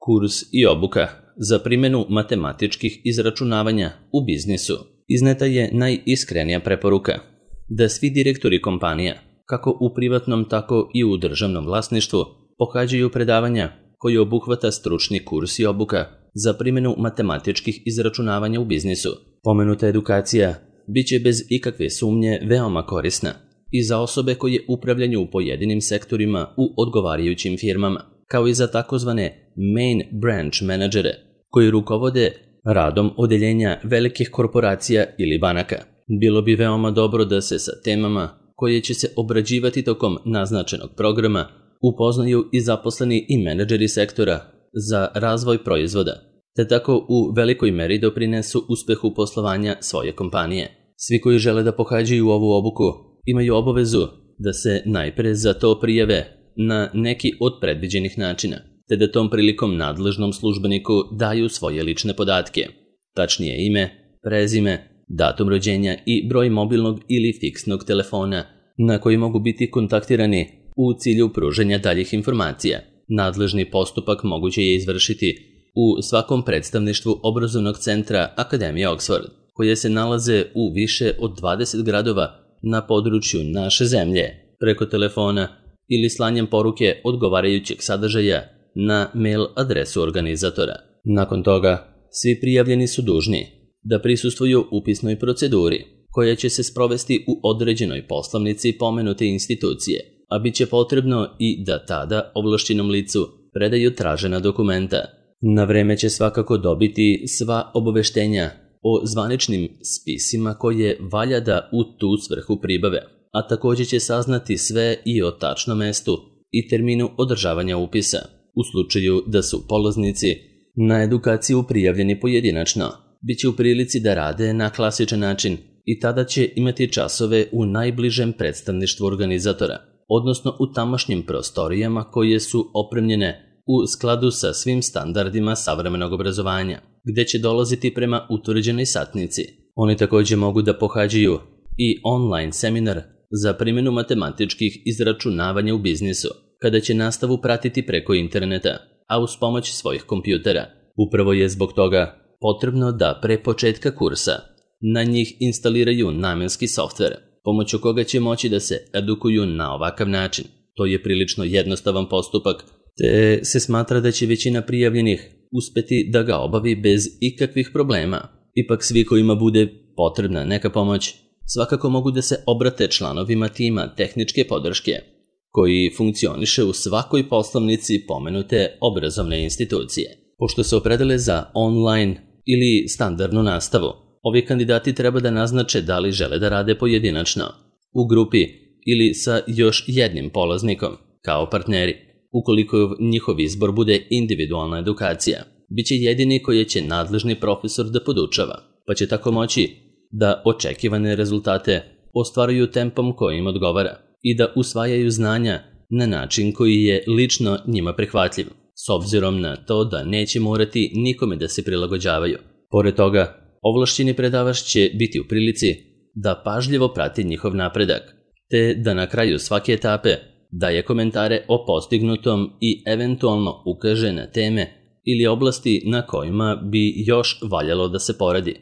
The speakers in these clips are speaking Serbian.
Kurs i obuka za primjenu matematičkih izračunavanja u biznisu. Izneta je najiskrenija preporuka da svi direktori kompanija, kako u privatnom tako i u državnom vlasništvu, pohađaju predavanja koji obuhvata stručni kurs i obuka za primjenu matematičkih izračunavanja u biznisu. Pomenuta edukacija bit će bez ikakve sumnje veoma korisna i za osobe koje upravljaju u pojedinim sektorima u odgovarajućim firmama, kao i za takozvane main branch menadžere koji rukovode radom odeljenja velikih korporacija ili banaka. Bilo bi veoma dobro da se sa temama koje će se obrađivati tokom naznačenog programa upoznaju i zaposleni i menadžeri sektora za razvoj proizvoda, te tako u velikoj meri doprinesu uspehu poslovanja svoje kompanije. Svi koji žele da pohađaju ovu obuku imaju obavezu da se najpre za to prijave na neki od predviđenih načina, te da tom prilikom nadležnom službeniku daju svoje lične podatke, tačnije ime, prezime, datum rođenja i broj mobilnog ili fiksnog telefona na koji mogu biti kontaktirani u cilju pružanja daljih informacija. Nadležni postupak moguće je izvršiti u svakom predstavništvu obrazovnog centra Akademije Oxford, koje se nalaze u više od 20 gradova na području naše zemlje, preko telefona ili slanjem poruke odgovarajućeg sadržaja na mail adresu organizatora. Nakon toga, svi prijavljeni su dužni da prisustvuju upisnoj proceduri koja će se sprovesti u određenoj poslovnici pomenute institucije, a bit će potrebno i da tada ovlašćenom licu predaju tražena dokumenta. Na vreme će svakako dobiti sva obaveštenja o zvaničnim spisima koje valja da u tu svrhu pribave, a također će saznati sve i o tačnom mestu i terminu održavanja upisa. U slučaju da su polaznici na edukaciju prijavljeni pojedinačno, bit će u prilici da rade na klasičan način i tada će imati časove u najbližem predstavništvu organizatora, odnosno u tamošnjim prostorijama koje su opremljene u skladu sa svim standardima savremenog obrazovanja, gde će dolaziti prema utvrđenoj satnici. Oni također mogu da pohađaju i online seminar za primjenu matematičkih izračunavanja u biznisu, kada će nastavu pratiti preko interneta, a uz pomoć svojih kompjutera. Upravo je zbog toga potrebno da pre početka kursa na njih instaliraju namenski softver, pomoću koga će moći da se edukuju na ovakav način. To je prilično jednostavan postupak, te se smatra da će većina prijavljenih uspeti da ga obavi bez ikakvih problema. Ipak svi kojima bude potrebna neka pomoć, svakako mogu da se obrate članovima tima tehničke podrške, koji funkcioniše u svakoj poslovnici pomenute obrazovne institucije. Pošto se opredele za online ili standardnu nastavu, ovi kandidati treba da naznače da li žele da rade pojedinačno, u grupi ili sa još jednim polaznikom, kao partneri. Ukoliko njihov izbor bude individualna edukacija, bit će jedini koje će nadležni profesor da podučava, pa će tako moći da očekivane rezultate ostvaruju tempom koji im odgovara i da usvajaju znanja na način koji je lično njima prihvatljiv, s obzirom na to da neće morati nikome da se prilagođavaju. Pored toga, ovlašćeni predavač će biti u prilici da pažljivo prati njihov napredak, te da na kraju svake etape daje komentare o postignutom i eventualno ukaže na teme ili oblasti na kojima bi još valjalo da se poradi.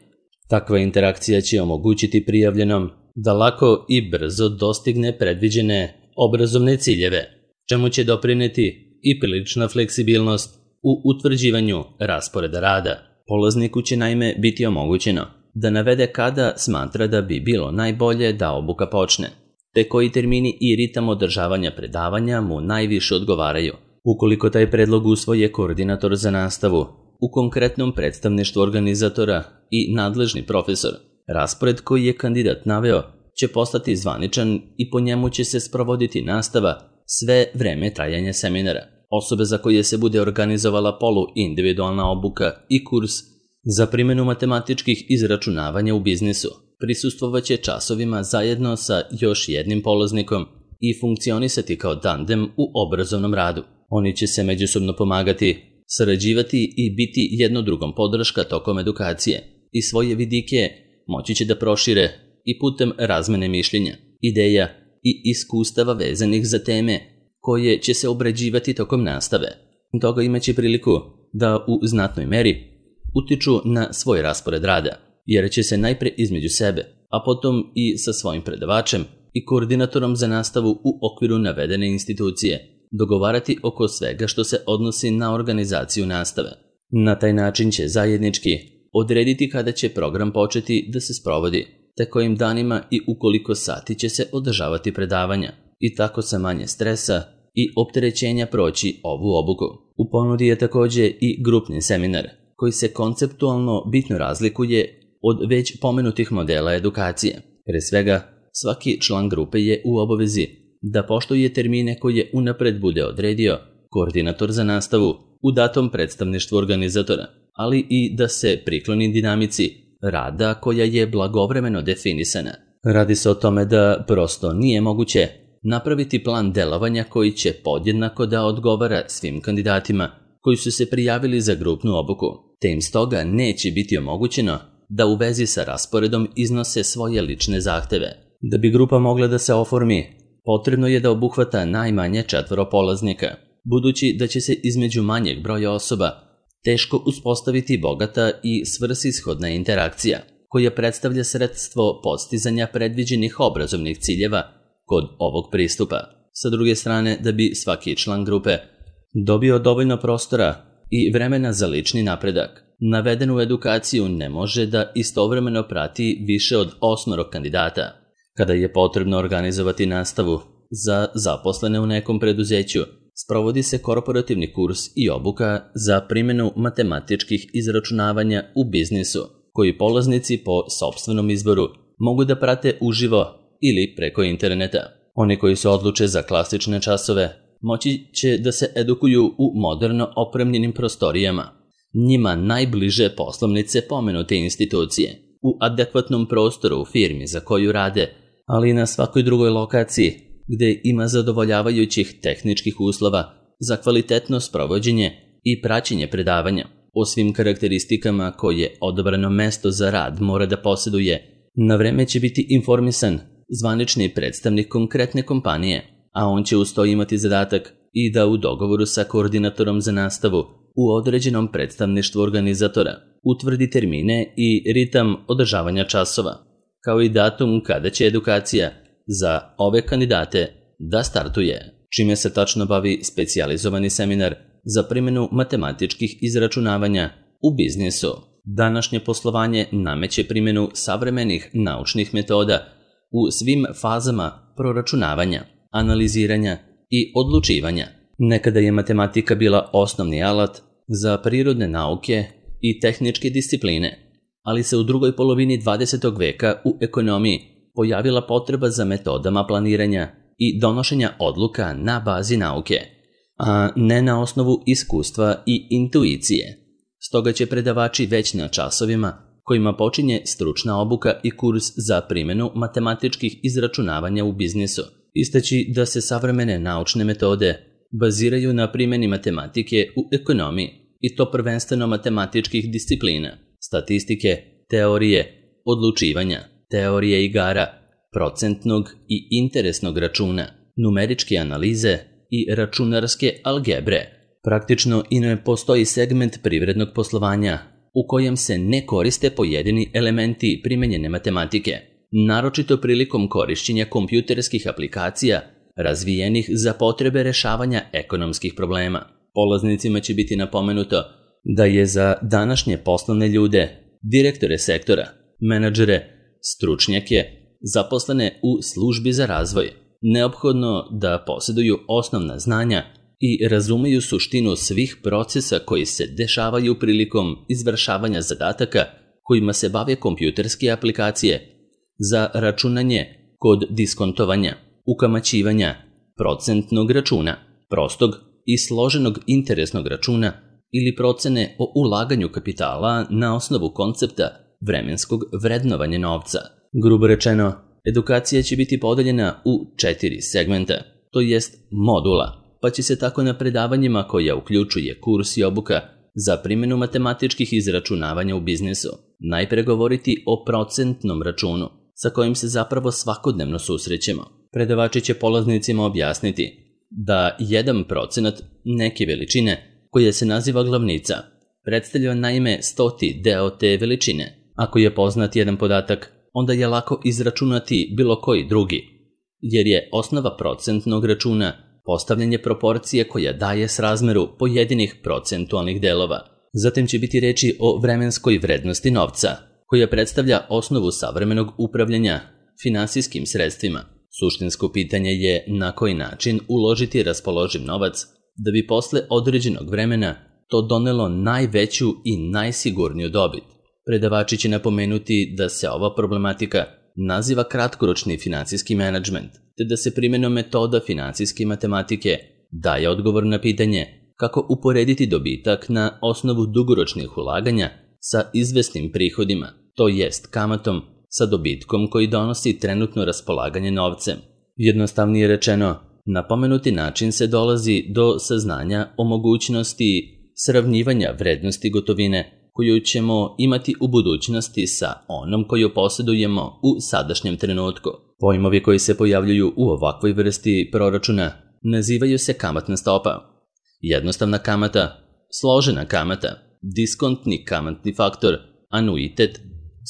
Takva interakcija će omogućiti prijavljenom da lako i brzo dostigne predviđene obrazovne ciljeve, čemu će doprineti i prilična fleksibilnost u utvrđivanju rasporeda rada. Polazniku će naime biti omogućeno da navede kada smatra da bi bilo najbolje da obuka počne, te koji termini i ritam održavanja predavanja mu najviše odgovaraju. Ukoliko taj predlog usvoje koordinator za nastavu u konkretnom predstavništvu organizatora i nadležni profesor, raspored koji je kandidat naveo će postati zvaničan i po njemu će se sprovoditi nastava sve vreme trajanja seminara. Osobe za koje se bude organizovala polu-individualna obuka i kurs za primjenu matematičkih izračunavanja u biznisu prisustvovaće časovima zajedno sa još jednim polaznikom i funkcionisati kao tandem u obrazovnom radu. Oni će se međusobno pomagati, sarađivati i biti jedno drugom podrška tokom edukacije i svoje vidike moći će da prošire i putem razmene mišljenja, ideja i iskustava vezanih za teme koje će se obrađivati tokom nastave. Toga imaće priliku da u znatnoj meri utiču na svoj raspored rada, jer će se najpre između sebe, a potom i sa svojim predavačem i koordinatorom za nastavu u okviru navedene institucije dogovarati oko svega što se odnosi na organizaciju nastave. Na taj način će zajednički odrediti kada će program početi da se sprovodi, te kojim danima i u koliko sati će se održavati predavanja i tako sa manje stresa i opterećenja proći ovu obuku. U ponudi je također i grupni seminar, koji se konceptualno bitno razlikuje od već pomenutih modela edukacije. Pre svega, svaki član grupe je u obavezi da poštuje termine koje unapred bude odredio koordinator za nastavu u datom predstavništvu organizatora, ali i da se prikloni dinamici rada koja je blagovremeno definisana. Radi se o tome da prosto nije moguće napraviti plan delovanja koji će podjednako da odgovara svim kandidatima koji su se prijavili za grupnu obuku, te im stoga neće biti omogućeno da u vezi sa rasporedom iznose svoje lične zahteve. Da bi grupa mogla da se oformi, potrebno je da obuhvata najmanje 4 polaznika, budući da će se između manjeg broja osoba teško uspostaviti bogata i svrsishodna interakcija, koja predstavlja sredstvo postizanja predviđenih obrazovnih ciljeva kod ovog pristupa. Sa druge strane, da bi svaki član grupe dobio dovoljno prostora i vremena za lični napredak, navedenu edukaciju ne može da istovremeno prati više od 8 kandidata. Kada je potrebno organizovati nastavu za zaposlene u nekom preduzeću, sprovodi se korporativni kurs i obuka za primjenu matematičkih izračunavanja u biznisu, koji polaznici po sopstvenom izboru mogu da prate uživo ili preko interneta. Oni koji se odluče za klasične časove moći će da se edukuju u moderno opremljenim prostorijama, njima najbliže poslovnice pomenute institucije, u adekvatnom prostoru u firmi za koju rade, ali i na svakoj drugoj lokaciji gde ima zadovoljavajućih tehničkih uslova za kvalitetno sprovođenje i praćenje predavanja. O svim karakteristikama koje odabrano mesto za rad mora da posjeduje, na vreme će biti informisan zvanični predstavnik konkretne kompanije, a on će uz to imati zadatak i da u dogovoru sa koordinatorom za nastavu u određenom predstavništvu organizatora utvrdi termine i ritam održavanja časova, kao i datum kada će edukacija za ove kandidate da startuje, čime se tačno bavi specijalizovani seminar za primjenu matematičkih izračunavanja u biznisu. Današnje poslovanje nameće primjenu savremenih naučnih metoda u svim fazama proračunavanja, analiziranja i odlučivanja. Nekada je matematika bila osnovni alat za prirodne nauke i tehničke discipline, ali se u drugoj polovini 20. veka u ekonomiji pojavila potreba za metodama planiranja i donošenja odluka na bazi nauke, a ne na osnovu iskustva i intuicije. Stoga će predavači već na časovima kojima počinje stručna obuka i kurs za primjenu matematičkih izračunavanja u biznisu istaći da se savremene naučne metode baziraju na primjeni matematike u ekonomiji, i to prvenstveno matematičkih disciplina, statistike, teorije, odlučivanja, teorije igara, procentnog i interesnog računa, numeričke analize i računarske algebre. Praktično i ne postoji segment privrednog poslovanja u kojem se ne koriste pojedini elementi primenjene matematike, naročito prilikom korišćenja kompjuterskih aplikacija razvijenih za potrebe rešavanja ekonomskih problema. Polaznicima će biti napomenuto da je za današnje poslovne ljude, direktore sektora, menadžere, stručnjake, zaposlene u službi za razvoj, neophodno da posjeduju osnovna znanja i razumeju suštinu svih procesa koji se dešavaju prilikom izvršavanja zadataka kojima se bave kompjuterske aplikacije za računanje kod diskontovanja, ukamaćivanja, procentnog računa, prostog i složenog interesnog računa ili procene o ulaganju kapitala na osnovu koncepta vremenskog vrednovanja novca. Grubo rečeno, edukacija će biti podeljena u 4 segmenta, to jest modula, pa će se tako na predavanjima koja uključuje kurs i obuka za primjenu matematičkih izračunavanja u biznisu najpre govoriti o procentnom računu, sa kojim se zapravo svakodnevno susrećemo. Predavači će polaznicima objasniti da 1% neke veličine koja se naziva glavnica, predstavlja naime 100. deo te veličine. Ako je poznat jedan podatak, onda je lako izračunati bilo koji drugi, jer je osnova procentnog računa postavljanje proporcije koja daje srazmeru pojedinih procentualnih delova. Zatim će biti reči o vremenskoj vrednosti novca, koja predstavlja osnovu savremenog upravljanja finansijskim sredstvima. Suštinsko pitanje je na koji način uložiti raspoloživ novac da bi posle određenog vremena to donelo najveću i najsigurniju dobit. Predavači će napomenuti da se ova problematika naziva kratkoročni finansijski menadžment, te da se primenom metoda finansijske matematike daje odgovor na pitanje kako uporediti dobitak na osnovu dugoročnih ulaganja sa izvesnim prihodima, to jest kamatom sa dobitkom koji donosi trenutno raspolaganje novcem. Jednostavnije rečeno, na pomenuti način se dolazi do saznanja o mogućnosti sravnjivanja vrednosti gotovine koju ćemo imati u budućnosti sa onom koju posjedujemo u sadašnjem trenutku. Pojmovi koji se pojavljuju u ovakvoj vrsti proračuna nazivaju se kamatna stopa, jednostavna kamata, složena kamata, diskontni kamatni faktor, anuitet,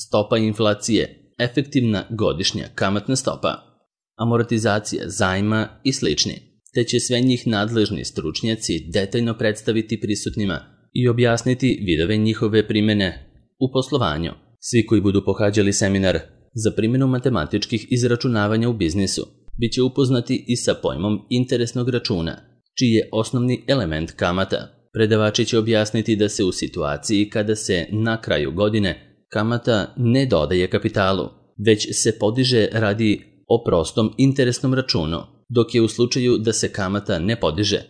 stopa inflacije, efektivna godišnja kamatna stopa, amortizacija zajma i slični, te će sve njih nadležni stručnjaci detaljno predstaviti prisutnima i objasniti vidove njihove primene u poslovanju. Svi koji budu pohađali seminar za primjenu matematičkih izračunavanja u biznisu bit će upoznati i sa pojmom interesnog računa, čiji je osnovni element kamata. Predavači će objasniti da se u situaciji kada se na kraju godine kamata ne dodaje kapitalu, već se podiže radi o prostom interesnom računu, dok je u slučaju da se kamata ne podiže,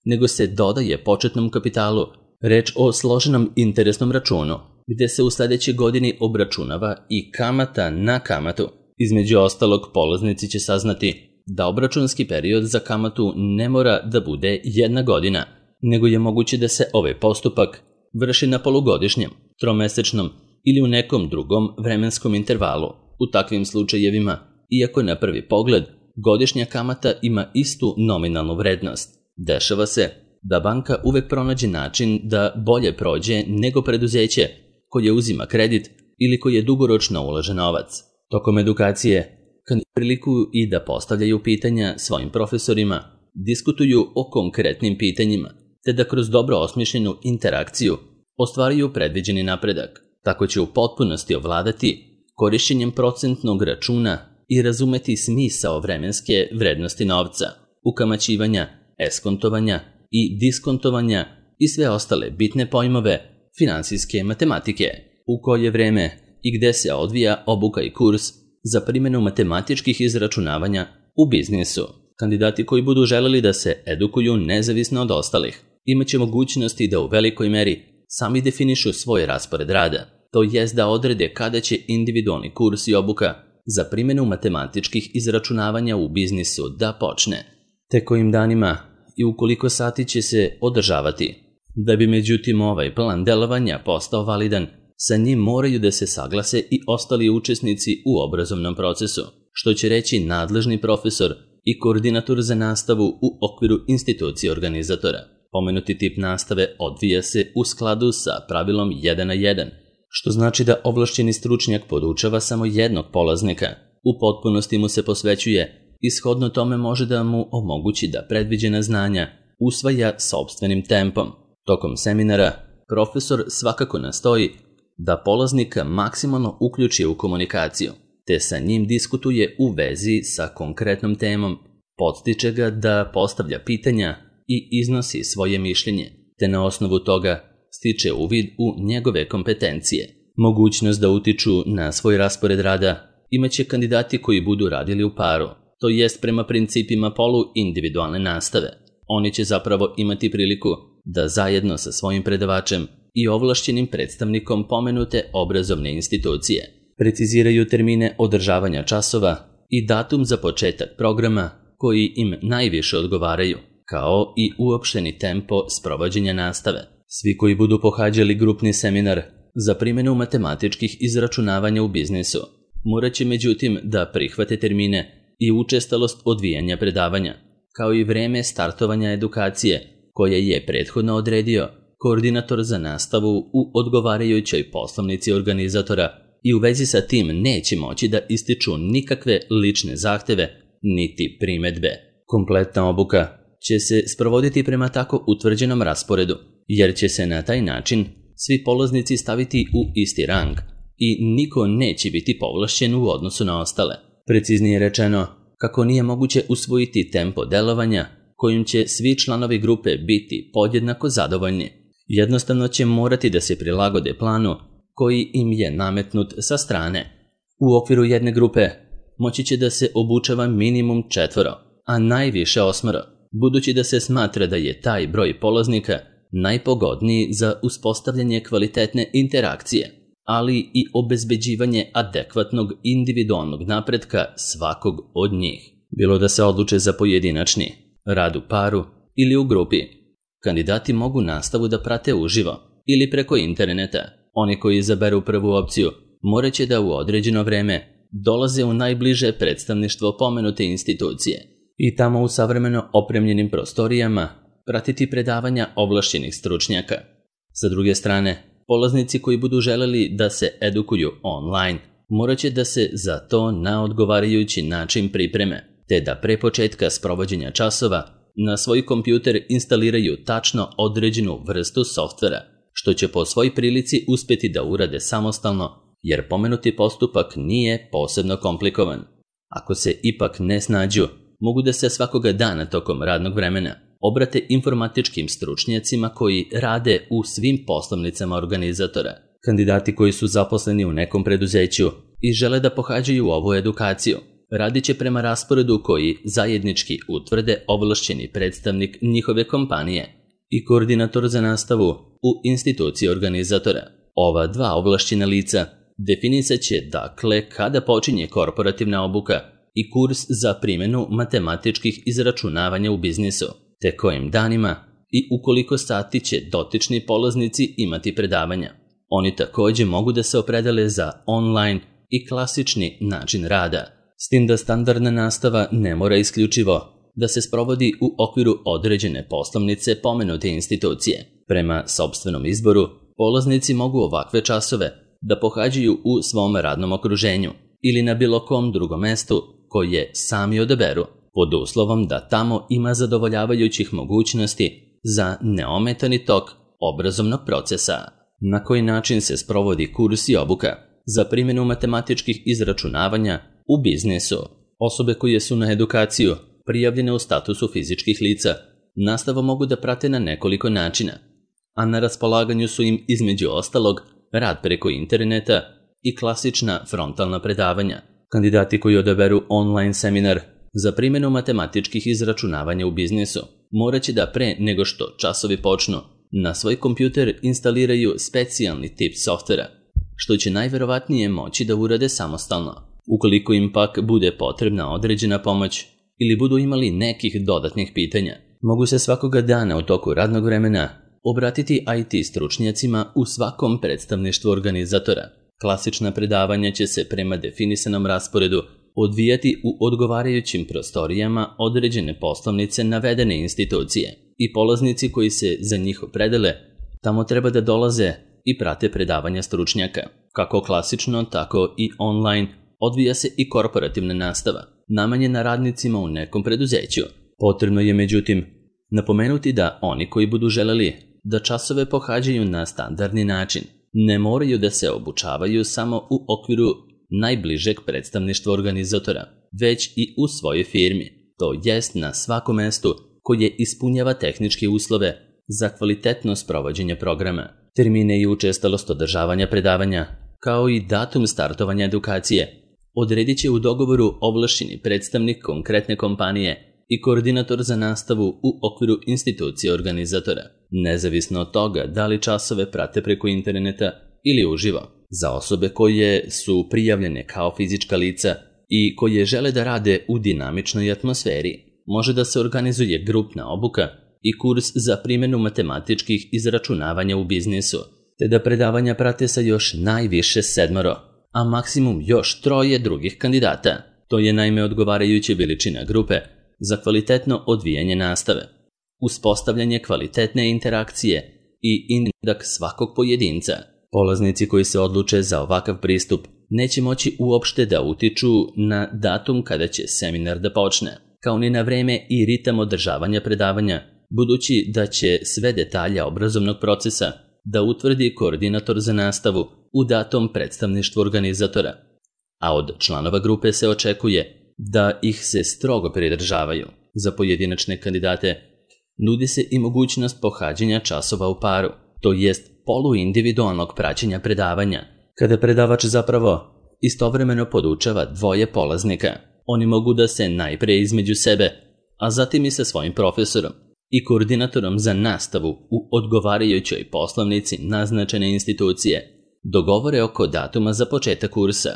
nego se dodaje početnom kapitalu, reč o složenom interesnom računu, gde se u sledećoj godini obračunava i kamata na kamatu. Između ostalog, polaznici će saznati da obračunski period za kamatu ne mora da bude 1 godina, nego je moguće da se ovaj postupak vrši na polugodišnjem, tromesečnom ili u nekom drugom vremenskom intervalu. U takvim slučajevima, iako na prvi pogled godišnja kamata ima istu nominalnu vrednost, dešava se da banka uvek pronađe način da bolje prođe nego preduzeće koje uzima kredit ili koje dugoročno ulaže novac. Tokom edukacije, kad priliku i da postavljaju pitanja svojim profesorima, diskutuju o konkretnim pitanjima, te da kroz dobro osmišljenu interakciju ostvaruju predviđeni napredak. Tako će u potpunosti ovladati korišćenjem procentnog računa i razumeti smisao vremenske vrednosti novca, ukamaćivanja, eskontovanja i diskontovanja i sve ostale bitne pojmove finansijske matematike, u koje vreme i gde se odvija obuka i kurs za primjenu matematičkih izračunavanja u biznisu. Kandidati koji budu želeli da se edukuju nezavisno od ostalih imaće mogućnosti da u velikoj meri sami definišu svoj raspored rada, to jest da odrede kada će individualni kurs i obuka za primjenu matematičkih izračunavanja u biznisu da počne, te kojim danima i u koliko sati će se održavati. Da bi međutim ovaj plan delovanja postao validan, sa njim moraju da se saglase i ostali učesnici u obrazovnom procesu, što će reći nadležni profesor i koordinator za nastavu u okviru institucije organizatora. Pomenuti tip nastave odvija se u skladu sa pravilom 1:1, što znači da ovlašćeni stručnjak podučava samo jednog polaznika. U potpunosti mu se posvećuje i shodno tome može da mu omogući da predviđena znanja usvaja sopstvenim tempom. Tokom seminara, profesor svakako nastoji da polaznika maksimalno uključi u komunikaciju, te sa njim diskutuje u vezi sa konkretnom temom, podstiče ga da postavlja pitanja i iznosi svoje mišljenje, te na osnovu toga stiče uvid u njegove kompetencije. Mogućnost da utiču na svoj raspored rada imaće kandidati koji budu radili u paru, to jest prema principima polu-individualne nastave. Oni će zapravo imati priliku da zajedno sa svojim predavačem i ovlašćenim predstavnikom pomenute obrazovne institucije preciziraju termine održavanja časova i datum za početak programa koji im najviše odgovaraju, kao i uopšteni tempo sprovođenja nastave. Svi koji budu pohađali grupni seminar za primjenu matematičkih izračunavanja u biznisu morat će međutim da prihvate termine i učestalost odvijanja predavanja, kao i vreme startovanja edukacije koje je prethodno odredio koordinator za nastavu u odgovarajućoj poslovnici organizatora i u vezi sa tim neće moći da ističu nikakve lične zahteve niti primedbe. Kompletna obuka će se sprovoditi prema tako utvrđenom rasporedu, jer će se na taj način svi polaznici staviti u isti rang i niko neće biti povlašćen u odnosu na ostale. Preciznije rečeno, kako nije moguće usvojiti tempo delovanja kojim će svi članovi grupe biti podjednako zadovoljni. Jednostavno će morati da se prilagode planu koji im je nametnut sa strane. U okviru jedne grupe moći će da se obučava minimum 4, a najviše 8, budući da se smatra da je taj broj polaznika najpogodniji za uspostavljanje kvalitetne interakcije, ali i obezbeđivanje adekvatnog individualnog napretka svakog od njih. Bilo da se odluče za pojedinačni, rad u paru ili u grupi, kandidati mogu nastavu da prate uživo ili preko interneta. Oni koji izaberu prvu opciju morat će da u određeno vreme dolaze u najbliže predstavništvo pomenute institucije i tamo u savremeno opremljenim prostorijama pratiti predavanja ovlašćenih stručnjaka. Sa druge strane, polaznici koji budu želeli da se edukuju online morat će da se za to na odgovarajući način pripreme, te da pre početka sprovođenja časova na svoj kompjuter instaliraju tačno određenu vrstu softvera, što će po svoj prilici uspjeti da urade samostalno, jer pomenuti postupak nije posebno komplikovan. Ako se ipak ne snađu, mogu da se svakoga dana tokom radnog vremena obrate informatičkim stručnjacima koji rade u svim poslovnicama organizatora. Kandidati koji su zaposleni u nekom preduzeću i žele da pohađaju ovu edukaciju, radit će prema rasporedu koji zajednički utvrde ovlašćeni predstavnik njihove kompanije i koordinator za nastavu u instituciji organizatora. Ova dva ovlašćena lica definisat će dakle kada počinje korporativna obuka i kurs za primjenu matematičkih izračunavanja u biznisu, te kojim danima i u koliko sati će dotični polaznici imati predavanja. Oni također mogu da se opredele za online i klasični način rada, s tim da standardna nastava ne mora isključivo da se sprovodi u okviru određene poslovnice pomenute institucije. Prema sopstvenom izboru, polaznici mogu ovakve časove da pohađaju u svom radnom okruženju ili na bilo kom drugom mestu koje sami odaberu, pod uslovom da tamo ima zadovoljavajućih mogućnosti za neometani tok obrazovnog procesa. Na koji način se sprovodi kurs i obuka za primjenu matematičkih izračunavanja u biznisu? Osobe koje su na edukaciju prijavljene u statusu fizičkih lica nastavu mogu da prate na nekoliko načina, a na raspolaganju su im između ostalog rad preko interneta i klasična frontalna predavanja. Kandidati koji odaberu online seminar za primjenu matematičkih izračunavanja u biznisu morat će da pre nego što časovi počnu na svoj kompjuter instaliraju specijalni tip softvera, što će najverovatnije moći da urade samostalno. Ukoliko im pak bude potrebna određena pomoć ili budu imali nekih dodatnih pitanja, mogu se svakoga dana u toku radnog vremena obratiti IT stručnjacima u svakom predstavništvu organizatora. Klasična predavanja će se prema definisanom rasporedu odvijati u odgovarajućim prostorijama određene poslovnice navedene institucije i polaznici koji se za njih opredele tamo treba da dolaze i prate predavanja stručnjaka. Kako klasično, tako i online odvija se i korporativna nastava, namenjena radnicima u nekom preduzeću. Potrebno je međutim napomenuti da oni koji budu želeli da časove pohađaju na standardni način ne moraju da se obučavaju samo u okviru najbližeg predstavništva organizatora, već i u svojoj firmi, to jest na svakom mestu koje ispunjava tehničke uslove za kvalitetno sprovođenje programa. Termine i učestalost održavanja predavanja, kao i datum startovanja edukacije, odredit će u dogovoru ovlašćeni predstavnik konkretne kompanije i koordinator za nastavu u okviru institucije organizatora, nezavisno od toga da li časove prate preko interneta ili uživo. Za osobe koje su prijavljene kao fizička lica i koje žele da rade u dinamičnoj atmosferi, može da se organizuje grupna obuka i kurs za primjenu matematičkih izračunavanja u biznisu, te da predavanja prate sa još najviše 7, a maksimum još 3 drugih kandidata. To je naime odgovarajuća veličina grupe za kvalitetno odvijanje nastave. uspostavljanje kvalitetne interakcije i napredak svakog pojedinca. Polaznici koji se odluče za ovakav pristup neće moći uopšte da utiču na datum kada će seminar da počne, kao ni na vreme i ritam održavanja predavanja, budući da će sve detalje obrazovnog procesa da utvrdi koordinator za nastavu u datom predstavništvu organizatora, a od članova grupe se očekuje da ih se strogo pridržavaju. Za pojedinačne kandidate nudi se i mogućnost pohađanja časova u paru, to jest poluindividualnog praćenja predavanja, kada predavač zapravo istovremeno podučava dvoje polaznika. Oni mogu da se najpre između sebe, a zatim i sa svojim profesorom i koordinatorom za nastavu u odgovarajućoj poslovnici naznačene institucije dogovore oko datuma za početak kursa,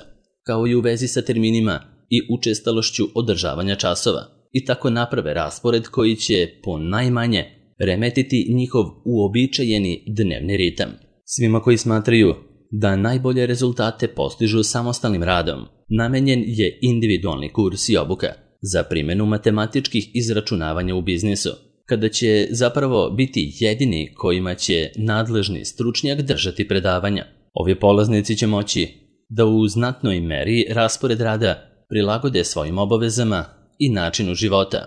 kao i u vezi sa terminima i učestalošću održavanja časova, i tako naprave raspored koji će ponajmanje remetiti njihov uobičajeni dnevni ritam. Svima koji smatraju da najbolje rezultate postižu samostalnim radom, namenjen je individualni kurs i obuka za primjenu matematičkih izračunavanja u biznisu, kada će zapravo biti jedini kojima će nadležni stručnjak držati predavanja. Ovi polaznici će moći da u znatnoj meri raspored rada prilagode svojim obavezama i načinu života,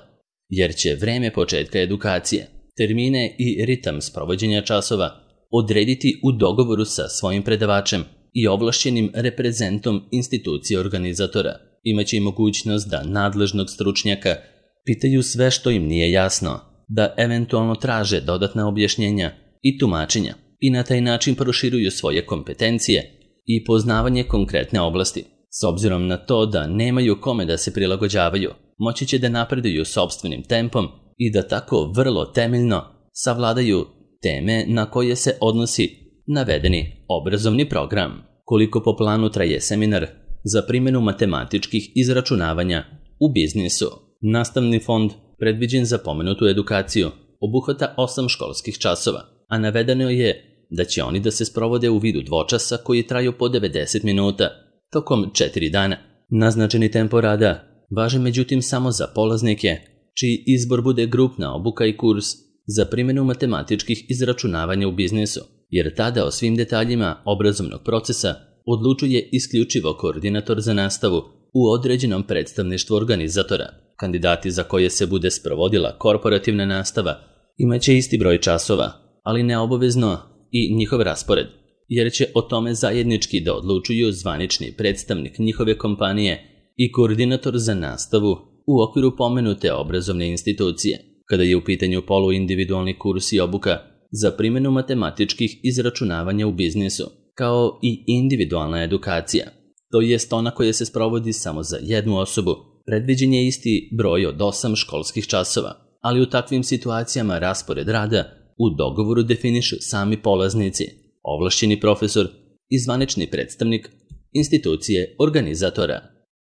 jer će vreme početka edukacije, termine i ritam sprovođenja časova odrediti u dogovoru sa svojim predavačem i ovlašćenim reprezentom institucije organizatora. Imaće i mogućnost da nadležnog stručnjaka pitaju sve što im nije jasno, da eventualno traže dodatna objašnjenja i tumačenja i na taj način proširuju svoje kompetencije i poznavanje konkretne oblasti. S obzirom na to da nemaju kome da se prilagođavaju, moći će da napreduju sopstvenim tempom i da tako vrlo temeljno savladaju teme na koje se odnosi navedeni obrazovni program. Koliko po planu traje seminar za primjenu matematičkih izračunavanja u biznisu? Nastavni fond predviđen za pomenutu edukaciju obuhvata 8 školskih časova, a navedeno je da će oni da se sprovode u vidu dvočasa koji traju po 90 minuta tokom 4 dana. Naznačeni tempo rada važi međutim samo za polaznike čiji izbor bude grupna obuka i kurs za primjenu matematičkih izračunavanja u biznisu, jer tada o svim detaljima obrazovnog procesa odlučuje isključivo koordinator za nastavu u određenom predstavništvu organizatora. Kandidati za koje se bude sprovodila korporativna nastava imaće isti broj časova, ali neobavezno i njihov raspored, jer će o tome zajednički da odlučuju zvanični predstavnik njihove kompanije i koordinator za nastavu u okviru pomenute obrazovne institucije. Kada je u pitanju poluindividualni kurs i obuka za primjenu matematičkih izračunavanja u biznisu, kao i individualna edukacija, to jest ona koja se sprovodi samo za jednu osobu, predviđen je isti broj od 8 školskih časova, ali u takvim situacijama raspored rada u dogovoru definišu sami polaznici, ovlašćeni profesor i zvanični predstavnik institucije organizatora.